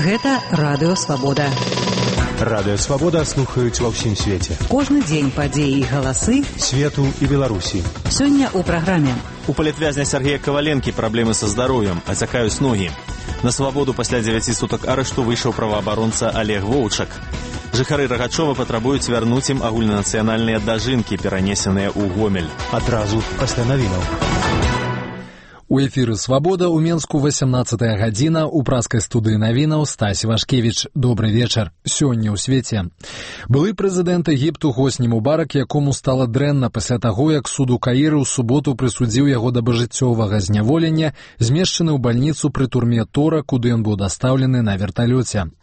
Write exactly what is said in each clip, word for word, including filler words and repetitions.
Гэта Радыё Свабода. Радыё Свабода слухаюць ва ўсім свеце. Кожны дзень падзеі і галасы свету і Беларусі. Сёння ў праграме. У палітвязня Сергея Коваленкі праблемы са здароўем, ацякаюць ногі. На свабоду пасля дзевяці сутак арышту выйшаў праваабаронца Олег Воўчак. Жыхары Рагачова патрабуюць вярнуць ім агульнанацыянальныя дажынкі, перанесеныя ў Гомель. Адразу пасля навінаў. У эфіры «Свабода» ў Менску васямнаццатая гадзіна, у праскай студыі навінаў Стась Вашкевіч. Добры вечар. Сёння ў свеце. Былы прэзідэнт Егіпту Хосні Мубарак, якому стала дрэнна пасля таго, як суд у Каіры ў суботу прысудзіў яго да пажыццёвага зняволення, змешчаны ў бальніцу пры турме Тора, куды ён быў дастаўлены на верталёце.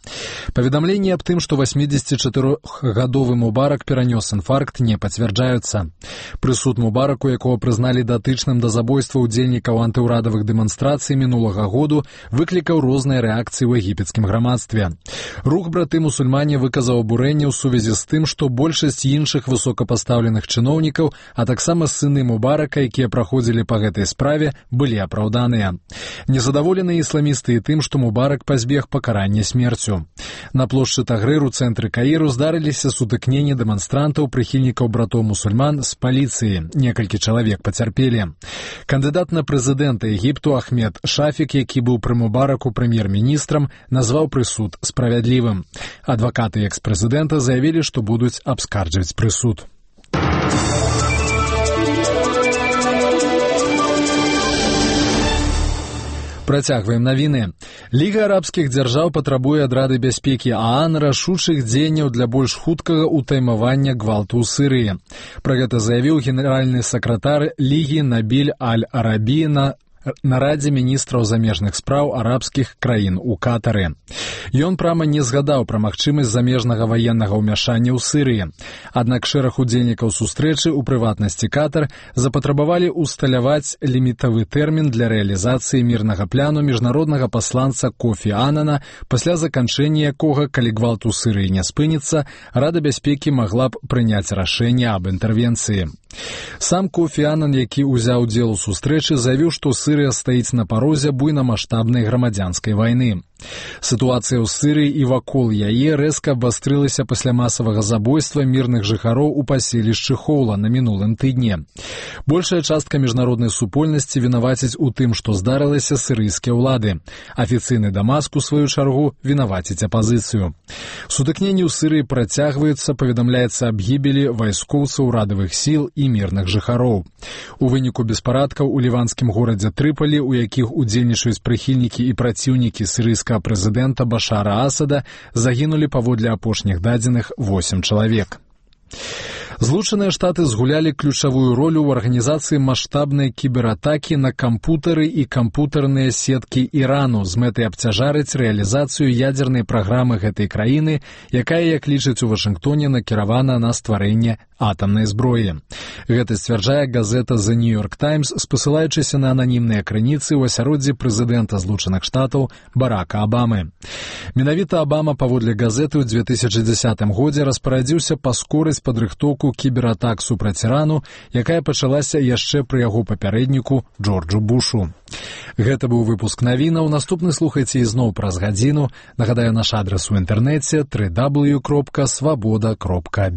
Паведамленні аб тым, што васьмідзесятычатырохгадовы Мубарак перанёс інфаркт, не пацвярджаюцца. Прысуд Мубараку, якого прызналі датычным да забойства ўдзельнікаў антыўрадавых дэманстрацый мінулага году, выклікаў розныя рэакцыі ў егіпецкім грамадстве. Рух браты-мусульмане выказаў абурэнне ў сувязі з тым, што большасць іншых высокапастаўленых чыноўнікаў, а таксама сыны Мубарака, якія праходзілі па гэтай справе, былі апраўданыя. Незадаволеныя ісламісты і тым, што Мубарак пазбег пакарання смерцю. На плошчы Тагрыр у цэнтры Каіру здарыліся сутыкненні дэманстрантаў, прыхільнікаў братоў-мусульман з паліцыі. Некалькі чалавек пацярпелі. Кандыдат на прэзідэнта Егіпту Ахмед Шафік, які быў пры Мубараку прэм'ер-міністрам, назваў прысуд справядлівым. Адвакаты экс-прэзідэнта заявілі, што будуць абскарджваць прысуд. Працягваем навіны. Ліга арабскіх дзяржаў патрабуе ад Рады бяспекі ААН рашучых дзеянняў для больш хуткага ўтаймавання гвалту ў Сырыі. Пра гэта заявіў генеральны сакратар Лігі Набіль Аль-Арабі на нарадзе міністраў замежных спраў арабскіх краін у Катары. Ён прама не згадаў пра магчымасць замежнага ваеннага ўмяшання ў Сырыі. Аднак шэраг удзельнікаў сустрэчы, у прыватнасці Катар, запатрабавалі усталяваць лімітавы тэрмін для рэалізацыі мірнага пляну міжнароднага пасланца Кофі Анана, пасля заканчэння якога, калі гвалт у Сырыі не спыніцца, Рада бяспекі магла б прыняць рашэнне аб інтэрвенцыі. Сам Кофі Анан, які ўзяў удзел у сустрэчы, заявіў, што Сырыя стаіць на парозе буйнамаштабнай грамадзянскай вайны. Сітуацыя ў Сырыі і вакол яе рэзка абвастрылася пасля масавага забойства мірных жыхароў у паселішчы Хоула на мінулым тыдні. Большая частка міжнароднай супольнасці вінаваціць у тым, што здарылася, сырыйскія ўлады. Афіцыйны Дамаск, у сваю чаргу, вінаваціць апазіцыю. Сутыкненні ў Сырыі працягваюцца, паведамляецца аб гібелі вайскоўцаў урадавых сіл і мірных жыхароў. У выніку беспарадкаў у ліванскім горадзе Трыпалі, у якіх удзельнічаюць прыхільнікі і праціўнікі сырыйскага прэзідэнта Башара Асада, загінулі паводле апошніх дадзеных восем чалавек. Злучаныя Штаты згулялі ключавую ролю ў арганізацыі маштабнай кібератакі на кампутары і кампутарныя сеткі Ірану з мэтай абцяжарыць рэалізацыю ядзернай праграмы гэтай краіны, якая, як лічаць у Вашынгтоне, накіравана на стварэнне атамнай зброі. Гэта сцвярджае газета The New York Times, спасылаючыся на ананімныя крыніцы ў асяроддзі прэзідэнта Злучаных Штатаў Барака Абамы. Менавіта Абама, паводле газеты, ў дзве тысячы дзесятым годзе распарадзіўся паскорыць падрыхтоўку кібератак супраць Ірану, якая пачалася яшчэ пры яго папярэдніку Джорджу Бушу. Гэта быў выпуск навінаў. Наступны слухайце ізноў праз гадзіну. Нагадаю, наш адрас у інтэрнэце дабл ю дабл ю дабл ю кропка свабода кропка